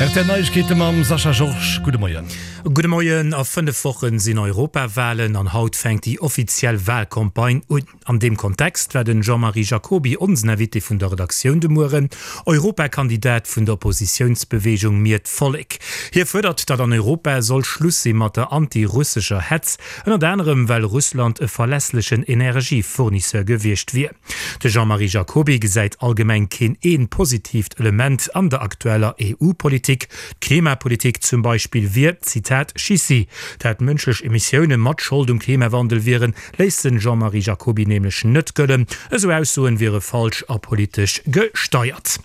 Rtl Neiegkeete mam Sascha Georges. Gudde Moien. Gudde Moien. A 5 Wochen sinn Europawalen an haut fänkt déi offiziell Walcampagne un. An deem Kontext war den Jean-Marie Jacoby onsen Invité vun der Redaktioun de Mueren, Europakandidat vun der Oppositiounsbeweegung Mir d'Vollek. Hie fuerdert, datt an Europa soll Schluss si mat der anti-russescher Hetz, ënnert anerem well Russland e verlässlechen Energiefournisseur gewiescht wier. De Jean-Marie Jacoby gesäit allgemeng keen een positiivt Element an der aktueller EU-Politik. D'Klimapolitik zum Beispill wier, Zitat, Schissi. Dat mënschlech Emissioune mat Schold um Klimawandel wieren, léisst den Jean-Marie Jacoby nämlech net gëllen. Esou Aussoen wiere falsch a politesch gesteiert.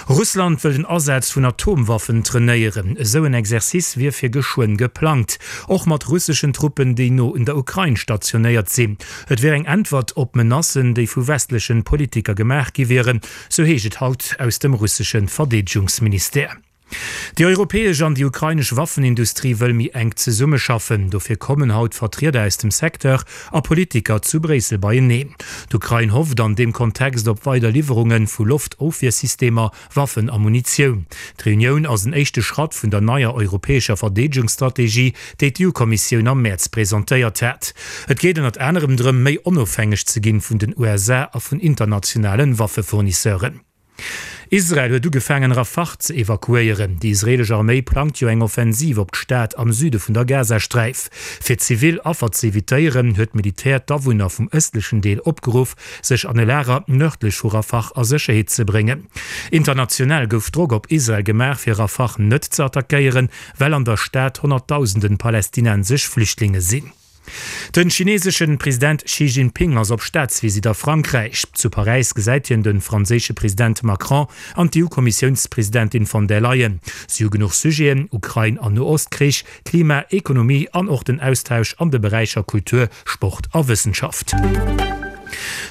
Russland wëll den Asaz vun Atomwaffen trainéieren. Esou en Exercice wier fir geschwënn geplangt, och mat russeschen Truppen, déi no un der Ukrain stationéiert sinn. Et wier eng Äntwert op Menacen, déi vu westlechen Politiker gemaach gi wieren, sou heescht et haut aus dem russesche Verdeedegungsministère. Déi europäesch an déi ukrainesch Waffenindustrie wëll méi enk zesummeschaffen. Dofir kommen haut Vertrieder aus dem Secteur a Politiker zu Bréissel beieneen. D'Ukrain hofft an deem Kontext op weider Liwwerunge vu Loftofwiersystemer, Waffen a Munitioun. D'Reunioun ass en éischte Schratt vun der neier europäescher Verdeedegungsstrategie, déi d'EU-Kommissioun am Mäerz presentéiert hat. Et geet ënnert anerem drëm, méi onofhängeg ze ginn vun den USA a vun internationale Waffefournisseuren. Israel huet ugefaangen, Rafah ze evakuéieren. Déi israeelesch Arméi plangt jo eng Offensiv op d'Stad am Süde vun der Gazasträif. Fir zivil Affer ze evitéieren, huet d'Militär d'Awunner vum ëstlechen Deel opgeruff, sech an e Lager nërdlech vu Rafah a Sécherheet ze bréngen. International gouf Drock op Israel gemaach, fir Rafah net ze attackéieren, well an der Stad honnertdausenden palästinensesch Flüchtlinge sinn. Den chineseschen President Xi Jinping ass op Staatsvisitt a Frankräich. Zu Paräis gesäit hien den franséische President Macron an d'EU-Kommissiounspresidentin von der Leyen. Si hu genuch Sujeten, Ukrain an Noostkrich, Klima, Ekonomie an och den Austausch an de Beräicher Kultur, Sport a Wëssenschaft.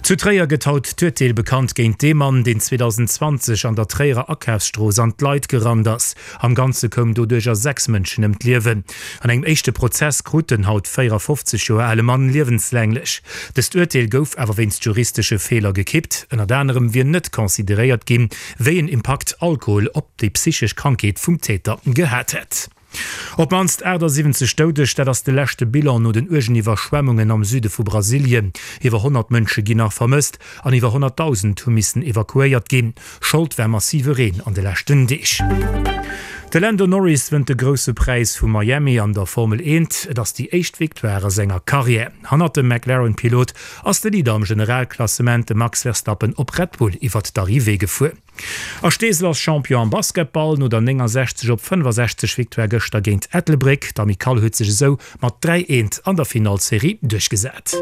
Zu Tréier gëtt haut d'Urteel bekannt géint dee Mann, deen 2020 an der Tréierer Akafsstrooss an d'Leit gerannt ass. Am Ganze koum doduercher 6 Mënschen ëm d'Liewen. An engem éischte Prozess krut den haut 54 Joer ale Mann liewenslänglech. Dëst Urteel gouf awer wéinst juristesche Feeler gekippt. Ënnert anerem wier net consideréiert ginn, wéi en Impakt Alkohol op déi psychesch Krankheet vum Täter gehat hätt. Op d'mannst 78 Doudeg, dat ass de leschte Bilan no den uergen Iwwerschwemmungen am Süde vu Brasilien. Iwwer 100 Mënsche ginn nach vermësst an iwwer 100.000 hu missen evakuéiert ginn. Schold war massive Reen an de leschten Deeg. De Lando Norris wënnt de Grousse Präis vu Miami an der Formel Eent. Et ass déi éischt Victoire a senger Karriär. Hannert dem McLaren-Pilot ass de Leader am Generalklassement, de Max Verstappen op Red Bull iwwert d'Arrivée gefuer. A Steesel ass Champion am Basketball no der 69 op 65 Victoire gëschter géint Ettelbréck. D'Amicale huet sech esou mat 3, 1 an der Finallserie duerchgesat.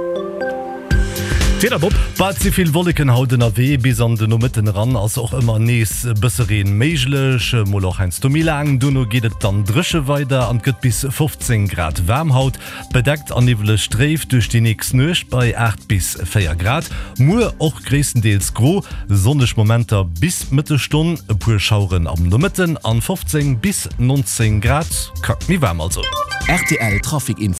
D'Wieder, Bob. Bah, et si vill Wolleken haut ënnerwee, bis an de Nomëtten eran ass och ëmmer nees e bësse Reen méiglech, mol och heiansdo méi laang. Dono geet et dann dréche weider an et gëtt bis 15 Grad waarm haut. Bedeckt a niwweleg dréif duerch déi nächst Nuecht bei 8 bis 4 Grad. Muer och gréisstendeels gro, sonneg Momenter bis d'Mëttesstonn, e puer Schaueren am Nomëtten an 15 bis 19 Grad. Kack méi waarm also. Rtl Trafic Info.